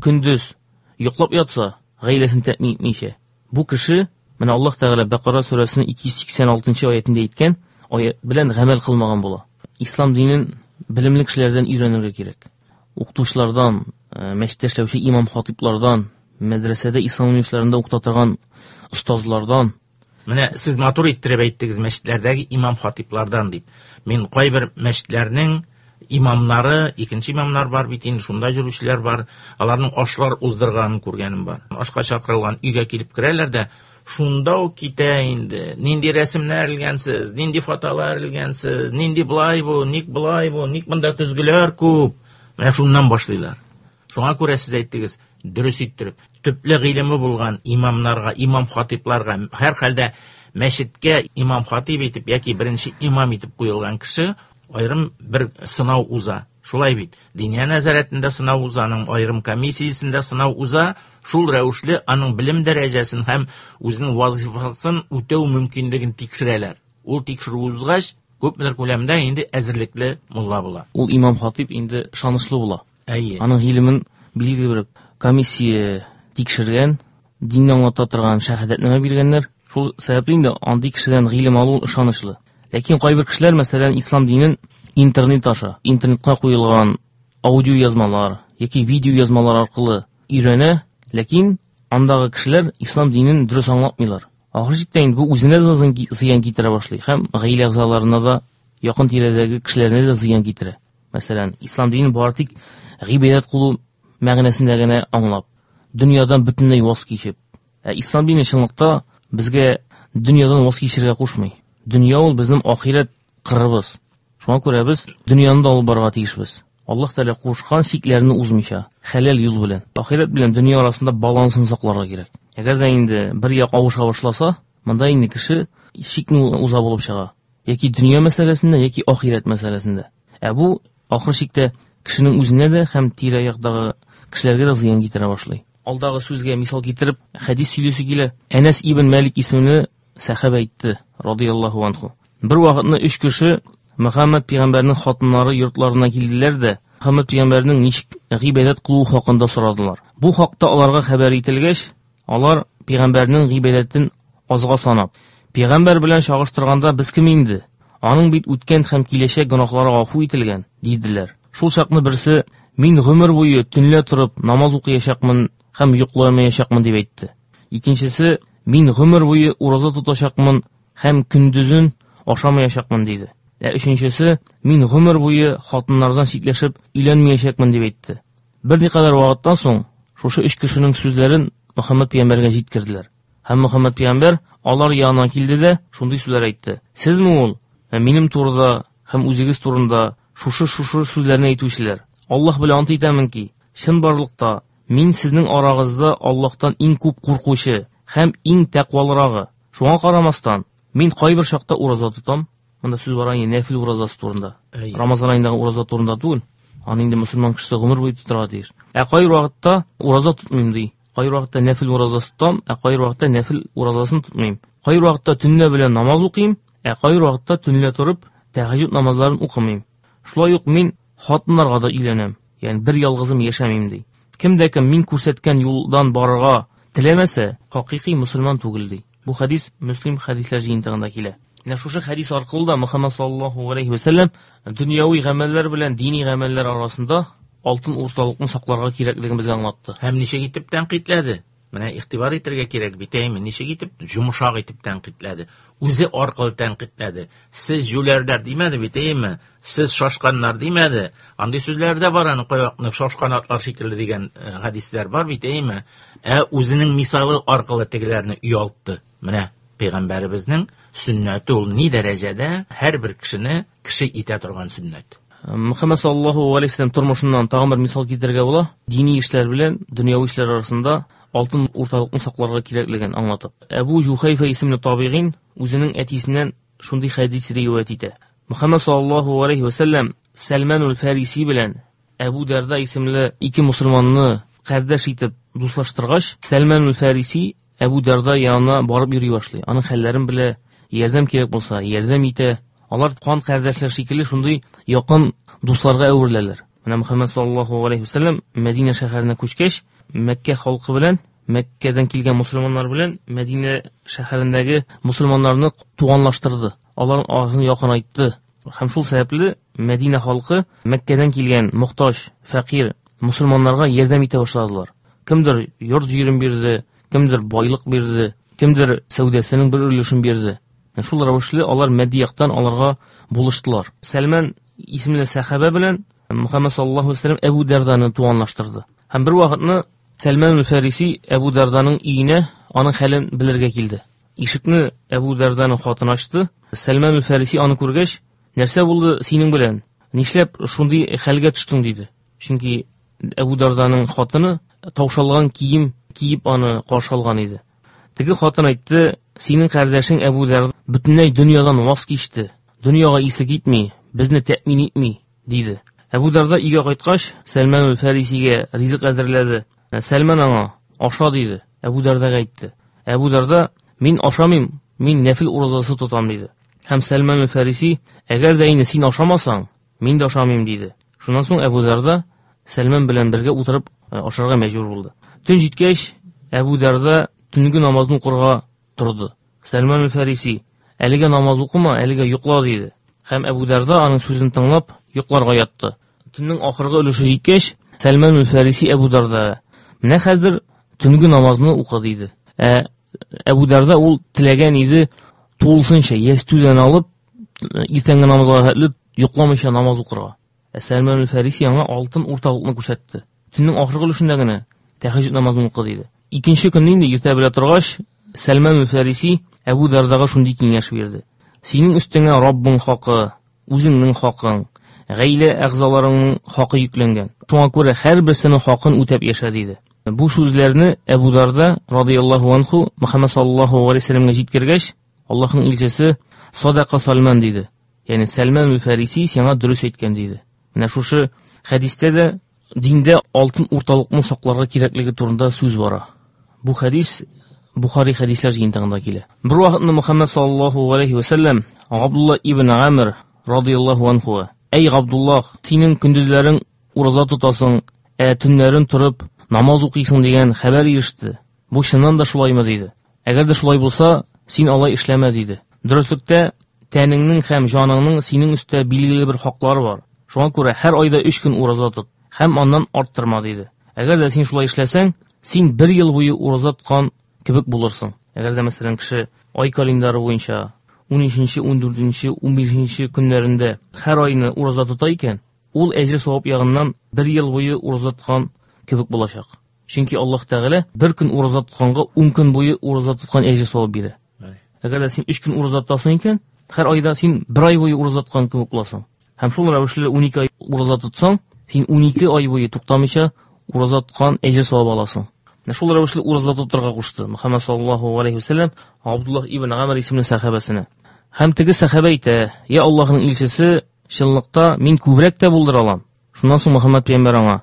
көндез йоклап ятса, гаиләсен тәэмин итмичә, бу кеше менә Аллаһ Тәгалә Бәкара сүрәсенең ике йөз сиксән алтынчы аятендә әйткән аят белән гамәл кылмаган була. Ислам динен белемле кешеләрдән өйрәнергә кирәк. Укытучылардан, мәчеттә эшләүче имам-хатиплардан, мәдрәсәдә ислам университетларында укыта торган остазлардан. Менә сез матур иттереп әйттегез мәчетләрдәге имам-хатиплардан дип. Мин кайбер мәчетләрнең имамнары, икенче имамнар бар бит инде, шунда йөрүчеләр бар, аларның ашлар уздырганын күргәнем бар. Ашка чакырылган өйгә килеп керәләр дә, шунда ук китә инде. Нинди рәсемнәр элгәнсез, нинди фотолар элгәнсез, нинди былай бу, ник былай бу, ник монда көзгеләр күп. Менә шуннан башлыйлар. Шуңа күрә сез әйттегез, дөрес иттереп, төпле гыйлеме булган имамнарга, имам-хатипларга, һәр хәлдә мәчеткә имам-хатип итеп яки беренче имам итеп куелган кеше аерым бер сынау уза. Шулай бит. Диния нәзарәтендә сынау уза, аның аерым комиссиясендә сынау уза, шул рәвешле аның белем дәрәҗәсен һәм үзенең вазифасын үтәү мөмкинлеген тикшерәләр. Ул тикшерү узгач, күпмедер күләмдә инде әзерлекле мулла була. Ул имам-хатип инде ышанычлы була. Әйе. Аның гыйлемен билгеле бер комиссия тикшергән, динне аңлата торган шәһадәтнамә биргәннәр. Шул сәбәпле инде андый кешедән гыйлем алу ышанычлы. Ләкин кайбер кешеләр, мәсәлән, ислам динен интернет аша, интернетка куелган аудио язмалар яки видео язмалар аркылы өйрәнә, ләкин андагы кешеләр ислам динен дөрес аңлатмыйлар. Ахыр чиктә инде бу үзенә дә зыян китерә башлый һәм гаилә әгъзаларына да, якын тирәдәге кешеләренә дә зыян китерә. Мәсәлән, ислам динен бары тик гыйбадәт кылу мәгънәсендә генә аңлап, дөньядан бөтенләй ваз кичеп. Ә ислам дине чынлыкта безгә дөньядан ваз кичергә кушмый. Дөнья ул безнең ахирәт кырыбыз. Шуңа күрә без дөньяны да алып барырга тиешбез. Аллаһ Тәгалә кушкан чикләрне узмыйча, хәләл юл белән. Ахирәт белән дөнья арасында балансын сакларга кирәк. Әгәр дә инде бер як авыша башласа, монда инде кеше чикне уза булып чыга. Яки дөнья мәсьәләсендә, яки ахирәт мәсьәләсендә. Ә бу ахыр чиктә кешенең үзенә дә һәм тирә-яктагы кешеләргә дә зыян китерә башлый. Алдагы сүзгә мисал китереп, хәдис сөйлисе килә. Әнәс ибн Мәлик исемле сәхабә әйтте, радияллаһу анху. Бер вакытны өч кеше Мөхәммәд пәйгамбәрнең хатыннары йортларына килделәр дә, Мөхәммәд пәйгамбәрнең ничек гыйбадәт кылуы хакында сорадылар. Бу хакта аларга хәбәр ителгәч, алар пәйгамбәрнең гыйбадәтен азга санап, пәйгамбәр белән чагыштырганда без кем инде? Аның бит үткән һәм киләчәк гөнаһлары гафу ителгән, диделәр. Шул чакны берсе, мин гомер буе төнлә торып намаз укыячакмын һәм йокламаячакмын дип әйтте. Икенчесе, мин гомер буе ураза тотачакмын һәм көндезен ашамаячакмын диде. Ә өченчесе, мин гомер буе хатыннардан читләшеп өйләнмәячәкмен дип әйтте. Берникадәр вакыттан соң шушы өч кешенең сүзләрен Мөхәммәд пәйгамбәргә җиткерделәр. Һәм Мөхәммәд пәйгамбәр алар янына килде дә шундый сүзләр әйтте. Сезме ул минем турыда һәм үзегез турында шушы-шушы сүзләрне әйтүчеләр? Аллаһ белән ант итәмен ки, чынбарлыкта мин сезнең арагызда Аллаһтан иң күп куркучы һәм иң тәкъвалырагы. Шуңа карамастан, мин кайбер чакта ураза тотам. Монда сүз бара инде нәфил уразасы турында. Рамазан аендагы ураза турында түгел. Аны инде мөселман кешесе гомер буе тотарга тиеш. Ә кайбер вакытта ураза тотмыйм ди. Кайбер вакытта нәфил уразасы тотам, ә кайбер вакытта нәфил уразасын тотмыйм. Кайбер вакытта төнлә белән намаз укыйм, ә кайбер вакытта төнлә торып тәһәҗҗүд намазларын укымыйм. Шулай ук мин хатыннарга да өйләнәм. Ягъни бер ялгызым яшәмим ди. Кем дә кем мин күрсәткән юлдан барырга теләмәсә, хакыйкый мөселман түгел ди. Бу хәдис Мөслим хәдисләр җыентыгында килә. Менә шушы хәдис аркылы да Мөхәммәд саллаллаһу алейһи ва сәлләм дөньяви гамәлләр белән дини гамәлләр арасында алтын урталыкны сакларга кирәклеген безгә аңлатты. Һәм ничек итеп тәнкыйтьләде? Менә игътибар итәргә кирәк бит, әйме? Ничек итеп йомшак итеп тәнкыйтьләде? Үзе аркылы тәнкыйтьләде. Сез җүләрләр димәде бит, әйме? Сез шашканнар димәде. Андый сүзләр дә бар, аны кайвакытны шашкан атлар шикелле дигән хәдисләр бар бит, әйме? Ә үзенең мисалы аркылы тегеләрне оялтты. Менә Пәйгамбәребезнең сөннәте ул ни дәрәҗәдә һәрбер кешене кеше итә торган сөннәт. Мөхәммәд саллаллаһу алейһи ва сәлләм тормышыннан тагын бер мисал китерергә була. Дини эшләр белән дөньяви эшләр арасында алтын урталыкны сакларга кирәклеген аңлатып. Әбу Җухайфа исемле табигин үзенең әтисеннән шундый хәдис риваять итә. Мөхәммәд саллаллаһу алейһи ва сәлләм Сәлманул Фариси белән Әбу Дәрда исемле ике мусульманны кардәш итеп дуслаштыргач, Сәлманул Фариси Әбу Дәрда янына барып йөри башлый. Аның хәлләрен белә, ярдәм кирәк булса, ярдәм итә. Алар кан кардәшләр шикелле шундый якын дусларга әвереләләр. Менә Мөхәммәд саллаллаһу алейһи ва сәлләм Мәдинә шәһәренә күчкәч, Мәккә халкы белән, Мәккәдән килгән мусульманнар белән Мәдинә шәһәрендәге мусульманнарны туганлаштырды. Аларның арасын якынайтты. Һәм шул сәбәпле Мәдинә халкы Мәккәдән килгән мохтаҗ, фәкыйрь мусульманнарга ярдәм итә башладылар. Кемдер йорт җирен бирде, кемдер байлык бирде, кемдер сәүдәсенең бер өлешен бирде. Шул рәвешле алар матди яктан аларга булыштылар. Сәлман исемле сәхабә белән Мөхәммәд саллаллаһу алейһи ва сәлләм Әбу Дәрданы туганлаштырды. Һәм бер вакытны Сәлман Фариси Әбу Дәрданың өенә аның хәлен белергә килде. Ишекне Әбу Дәрданың хатыны ачты. Сәлман Фариси аны күргәч, нәрсә булды синең белән? Нишләп шундый хәлгә төштең диде. Чөнки Әбу Дәрданың хатыны таушалган кием киеп аны каршы алган иде. Теге хатын әйтте, синең кардәшең Әбу Дәрда бөтенләй дөньядан ваз кичте. Дөньяга исе китми, безне тәэмин итми, диде. Әбу Дәрда өйгә кайткач, Сәлман Фарисигә ризык әзерләде. Сәлман аңа, аша диде. Әбу Дәрдага әйтте. Әбу Дәрда, мин ашамыйм, мин нәфил уразасы тотам диде. Һәм Сәлман Фариси, әгәр дә инде син ашамасаң, мин дә ашамыйм диде. Шуннан соң Әбу Дәрда Сәлман белән бергә утырып ашарга мәҗбүр булды. Төн җиткәч, Әбу Дәрда төнге намазны укырга торды. Сәлман Фариси, әлегә намаз укыма, әлегә йокла диде. Һәм Әбу Дәрда аның сүзен тыңлап йокларга ятты. Төннең ахыргы өлеше җиткәч, Сәлман Фариси Әбу Дәрдага, менә хәзер төнге намазны укы диде. Ә Әбу Дәрда ул теләгән иде тулысынча ястүдән алып иртәнге намазга хәтле йокламыйча намаз укырга. Ә Сәлман Фариси аңа алтын урталыкны күрсәтте. Төннең ахыргы өлешендә генә тәһәҗҗүд намазын укы диде. Икенче көнне инде иртә белә торгач, Сәлман Фариси Әбу Дәрдага шундый киңәш бирде. Синең өстеңә Раббың хакы, үзеңнең хакың, гаилә әгъзаларыңның хакы йөкләнгән. Шуңа күрә һәрберсенең хакын үтәп яшә, диде. Бу сүзләрне Әбу Дарда радыяллаһу анху Мөхәммәд саллаллаһу алейһи ва сәлләмгә җиткергәч, Аллаһның илчесе садака Салман диде. Ягъни Салман аль-Фариси сиңа дөрес әйткән, диде. Менә шушы хәдистә дә диндә алтын урталыкны сакларга кирәклеге турында сүз бара. Бу хәдис Бухари хәдисләр җыентыгында килә. Бер вакытны Мөхәммәд саллаллаһу алейһи ва сәлләм Габдулла ибн Амр радыяллаһу анху: "Әй Габдуллах, синең көндезләрең ураза тотасың, ә төннәрен торып намаз укыйсың дигән хәбәр иреште. Бу чыннан да шулаймы?" диде. Әгәр дә шулай булса, син алай эшләмә, диде. Дөреслектә тәнеңнең һәм җаныңның синең өстә билгеле бер хаклары бар. Шуңа күрә һәр айда өч көн ураза тот һәм аннан арттырма, диде. Әгәр дә син шулай эшләсәң, син бер ел буе ураза тоткан кебек булырсың. Әгәр дә мәсәлән кеше ай календары буенча унөченче, ундүртенче, унбишенче көннәрендә һәр айны ураза тота икән, ул әҗер савап ягыннан бер ел буе ураза тоткан кебек булачак. Чөнки Аллаһ Тәгалә бер көн ураза тотканга ун көн буе ураза тоткан әҗер савап бирә. Әгәр дә син өч көн ураза тотасың икән, һәр айда син бер ай буе ураза тоткан кебек буласың. Һәм шул рәвешле унике ай ураза тотсаң, син унике ай буе туктамыйча ураза тоткан әҗер савап аласың. Менә шул рәвешле ураза тотарга кушты Мөхәммәд саллаллаһу алейһи ва сәлләм Абдуллаһ ибн Амр исемле сәхабәсенә. Һәм теге сәхабә әйтә: "Я Аллаһның илчесе, чынлыкта мин күбрәк тә булдыра алам." Шуннан соң Мөхәммәд пәйгамбәр аңа: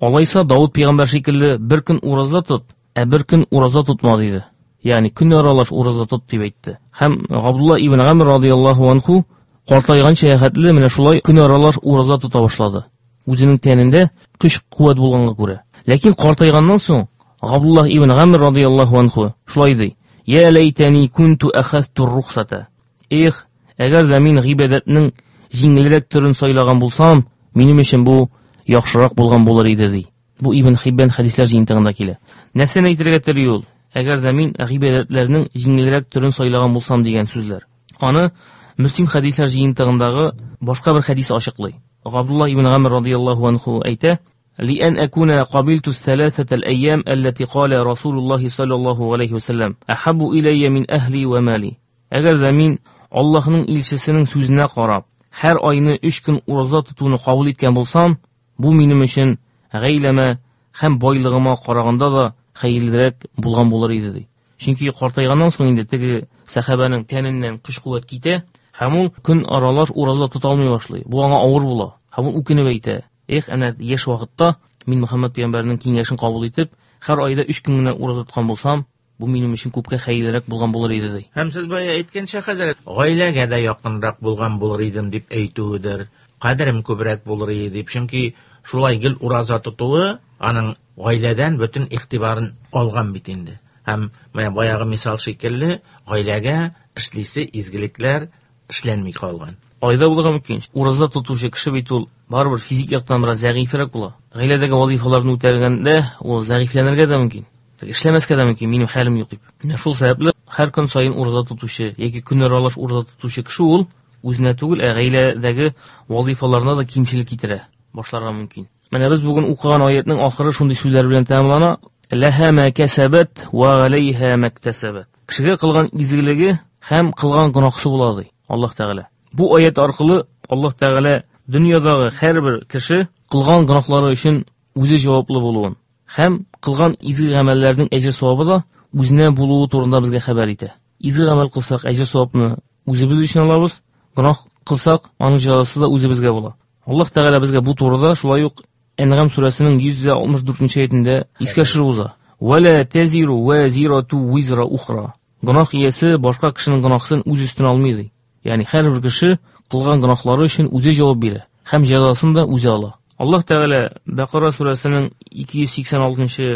"Алайса Давыд пәйгамбәр шикелле бер көн ураза тот, ә бер көн ураза тотма", диде. Ягъни көн аралаш ураза тот дип әйтте. Һәм Габдулла ибн Амр радыяллаһу анху картайганча хәтле менә шулай көн аралаш ураза тота башлады. Үзенең тәнендә көч куәт булганга күрә. Ләкин картайганнан соң Габдулла ибн Амр радыяллаһу анху шулай ди: "Я лайтани кунту ахазту рухсата." Эх, әгәр дә мин гыйбадәтнең җиңелрәк төрен сайлаган булсам, минем өчен бу яхшырак булган булыр иде, ди. Бу Ибн Хиббан хәдисләр җыентыгында килә. Нәрсәне әйтергә тели ул? Әгәр дә мин гыйбадәтләрнең җиңелрәк төрен сайлаган булсам дигән сүзләр. Аны Мөслим хәдисләр җыентыгындагы башка бер хәдис ачыклый. Габдулла ибн Амр радыяллаһу анху әйтә: "Лиан акуна кабилту ثلاثة الأيام التي قال رسول الله صلى الله عليه وسلم أحب إلي من أهلي ومالي." Әгәр дә мин Аллаһның илчесенең сүзенә карап, һәр айны өч көн ураза тотуны кабул иткән булсам, бу минем өчен гаиләмә һәм байлыгыма караганда да хәерлерәк булган булыр иде, ди. Чөнки картайганнан соң инде теге сәхабәнең тәненнән көч-куәт китә, һәм ул көн аралаш ураза тота алмый башлый. Бу аңа авыр була. Һәм ул үкенеп әйтә: "Эх, әнә яшь вакытта мин Мөхәммәд пәйгамбәрнең киңәшен кабул итеп, һәр айда өч көн генә ураза тоткан булсам, бу минем өчен күпкә хәерлерәк булган булыр иде", ди. Һәм сез бая әйткәнчә, хәзрәт, гаиләгә дә якынрак булган булыр идем дип әйтүедер, кадерем күбрәк булыр иде дип, чөнки шулай гел ураза тотуы аның гаиләдән бөтен игътибарын алган бит инде. Һәм менә баягы мисал шикелле гаиләгә эшлисе изгелекләр эшләнми калган. Айда булырга мөмкин. Ураза тотучы кеше бит ул барыбер физик яктан бераз зәгыйфрәк була. Гаиләдәге вазифаларны үтәгәндә ул зәгыйфләнергә дә мөмкин. Эшләмәскә дә мөмкин, минем хәлем юк дип. Менә шул сәбәпле һәр көн саен ураза тотучы яки көн аралаш ураза тотучы кеше ул үзенә түгел, ә гаиләдәге вазифаларына да кимчелек китерә башларга мөмкин. Менә без бүген укыган аятның ахыры шундый сүзләр белән тәмамлана: Лаһа ма касабат ва алейха мактасабат. Кешегә кылган изгелеге һәм кылган гөнаһсы була, ди Аллаһ Тәгалә. Бу аят аркылы Аллаһ Тәгалә дөньядагы һәрбер кеше кылган гөнаһлары өчен үзе җаваплы булуын һәм кылган изге гамәлләрнең әҗер савабы да үзенә булуы турында безгә хәбәр итә. Изге гамәл кылсак, әҗер савапны үзебез өчен алабыз, гөнаһ кылсак, аның җәзасы да үзебезгә була. Аллаһ Тәгалә безгә бу турыда шулай ук Әнгам сүрәсенең йөз алтмыш дүртенче аятендә искә төшереп уза. Вала тазиру вазирату визра ухра. Гөнаһ иясе башка кешенең гөнаһын үз өстенә алмый, ди. Ягъни һәрбер кеше кылган гөнаһлары өчен үзе җавап бирә һәм җәзасын да үзе ала. Аллаһ Тәгалә Бакара сүрәсенең ике йөз сиксән алтынчы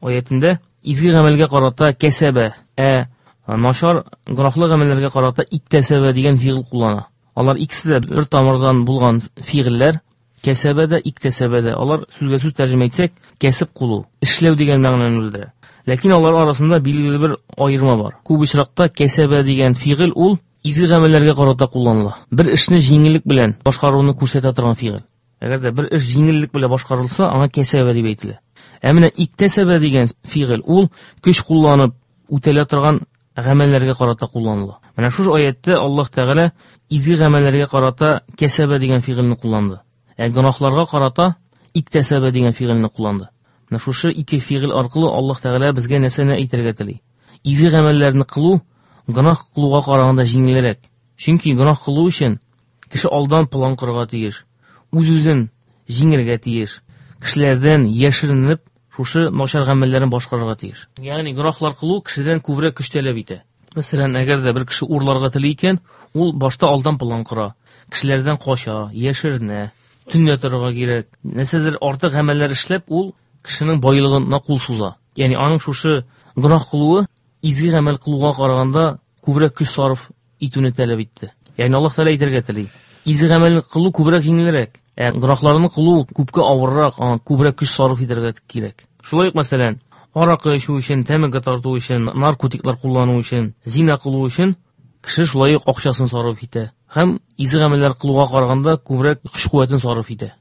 аятендә изге гамәлгә карата кәсәбә, ә начар гөнаһлы гамәлләргә карата иктәсәбә дигән фигыль куллана. Алар икесе дә бер тамырдан булган фигыльләр. Кәсәбә дә, иктәсәбә дә. Алар сүзгә сүз тәрҗемә итсәк, кәсеп кылу, эшләү дигән мәгънәне белдерә. Ләкин алар арасында билгеле бер аерма бар. Күп очракта кәсәбә дигән фигыль ул изге гамәлләргә карата кулланыла. Бер эшне җиңеллек белән башкаруны күрсәтә торган фигыль. Әгәр дә бер эш җиңеллек белән башкарылса, аңа кәсәбә дип әйтелә. Ә менә иктәсәбә дигән фигыль ул көч кулланып үтәлә торган гамәлләргә карата кулланыла. Менә шушы аятта Аллаһ Тәгалә изге гамәлләргә карата кәсәбә дигән фигыльне кулланды. Ә гөнаһларга карата иктәсәбә дигән фигыльне кулланды. Менә шушы ике фигыль аркылы Аллаһ Тәгалә безгә нәрсәне әйтергә тели? Изге гамәлләрне кылу гөнаһ кылуга караганда җиңелрәк. Чөнки гөнаһ кылу өчен кеше алдан план корырга тиеш, үз-үзен җиңергә тиеш, кешеләрдән яшеренеп шушы начар гамәлләрен башкарырга тиеш. Ягъни гөнаһлар кылу кешедән күбрәк көч таләп итә. Мәсәлән, әгәр дә бер кеше урларга тели икән, ул башта алдан план кора, кешеләрдән кача, яшеренә, төнлә торырга кирәк. Нәрсәдер артык гамәлләр эшләп, ул кешенең байлыгына кул суза. Ягъни аның шушы гөнаһ кылуы изге гамәл кылуга караганда күбрәк көч сарыф итүне таләп итте. Ягъни Аллаһ Тәгалә әйтергә тели: изге гамәлне кылу күбрәк җиңелрәк, ә гөнаһларны кылу күпкә авыррак, аңа күбрәк көч сарыф итәргә кирәк. Шулай ук, мәсәлән, аракы эчү өчен, тәмәке тарту өчен, наркотиклар куллану өчен, зина кылу өчен кеше шулай ук акчасын сарыф итә һәм изге гамәлләр кылуга караганда күбрәк көч-куәтен сарыф итә.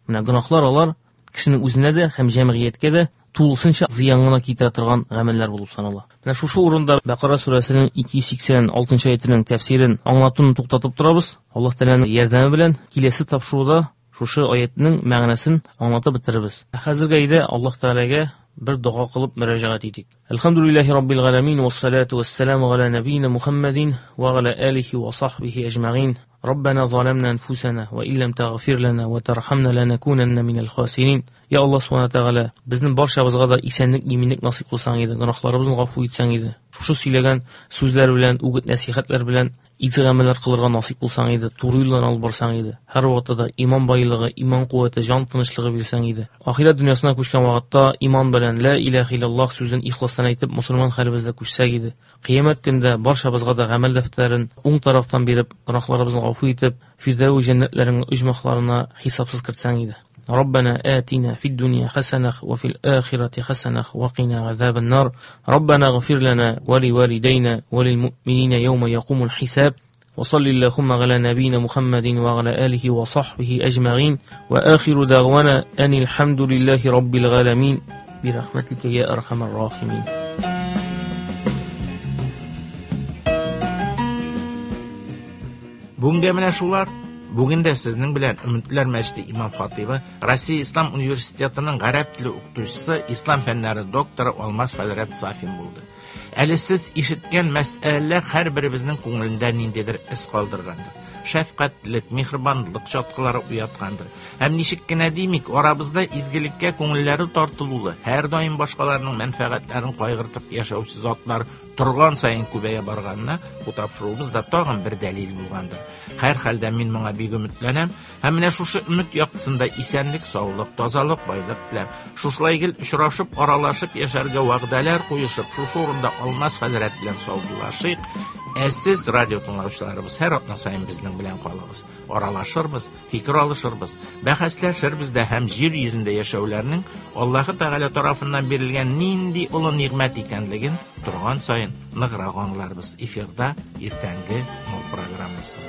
Менә гөнаһлар алар кешенең үзенә дә һәм җәмгыятькә дә тулысынча зыян гына китерә торган гамәлләр булып санала. Менә шушы урында Бакара сүрәсенең ике йөз сиксән алтынчы аятының тәфсирен аңлатуны туктатып торабыз. Аллаһ Тәгаләнең ярдәме белән киләсе тапшыруда шушы аятның мәгънәсен аңлатып бетерербез. Хәзергә әйдә Аллаһ Тәгаләгә бер дога кылып мөрәҗәгать итик. Әлхәмдүлилләһи раббил галәмин вассалату вассаламу аля набийна Мухаммадин ва аля алихи ва сахбихи әҗмәгин. Раббана заламна анфусана ва иллам тагфир лана ва тархамна ланакунанна минал хасирин. Я Аллаһ субхана тәгалә, безнең барчабызга да исәнлек, иминлек насыйп кылсаң иде, гөнаһларыбызны гафу итсәң иде. Шушы сөйләгән сүзләр белән, үгет нәсихәтләр белән изге гамәлләр кылырга насыйп булсаң иде, туры юлдан алып барсаң иде. Һәр вакытта да иман байлыгы, иман куәте, җан тынычлыгы бирсәң иде. Ахирәт дөньясына күчкән вакытта иман белән ла илаһа иллаллаһ сүзен ихластан әйтеп, мусульман хәлебездә күчсәк иде. Кыямәт көндә барчабызга да гамәл дәфтәрен уң тарафтан биреп, гөнаһларыбызны гафу итеп, Фирдәүс җәннәтләренең оҗмахларына хисапсыз кертсәң иде. ربنا آتنا في الدنيا حسنة وفي الآخرة حسنة وقنا عذاب النار. ربنا اغفر لنا ولوالدينا وللمؤمنين يوم يقوم الحساب. وصل اللهم على نبينا محمد وعلى آله وصحبه أجمعين. وآخر دعوانا أن الحمد لله رب العالمين برحمتك يا أرحم الراحمين. Бүгенгә менә шулар. Бүген дә сезнең белән Өметләр мәчете имам хатибы, Россия Ислам университетының гарәп теле укытучысы, ислам фәннәре докторы Алмаз хәзрәт Сафин булды. Әле сез ишеткән мәсьәләләр һәрберебезнең күңелендә ниндидер эз калдыргандыр. Шәфкатьлек, миһербанлык чаткылары уяткандыр. Һәм ничек кенә димик, арабызда изгелеккә күңелләре тартылулы, һәр даим башкаларның мәнфәгатьләрен кайгыртып яшәүче затлар торган саен күбәя барганына бу тапшыруыбыз да тагын бер дәлил булгандыр. Һәр хәлдә мин моңа бик өметләнәм һәм менә шушы өмет яктысында исәнлек, саулык, тазалык, байлык теләп, шушылай гел очрашып, аралашып яшәргә вәгъдәләр куешып, шушы урында Алмаз хәзрәт белән саубуллашыйк. Ә сез, радио тыңлаучыларыбыз, һәр атна саен безнең белән калыгыз. Аралашырбыз, фикер алышырбыз, бәхәсләшербез дә һәм җир йөзендә яшәүләрнең Аллаһы Тәгалә тарафыннан бирелгән нинди олы нигъмәт икәнлеген торган саен ныграк аңларбыз. Эфирда иртәнге Нур программасы.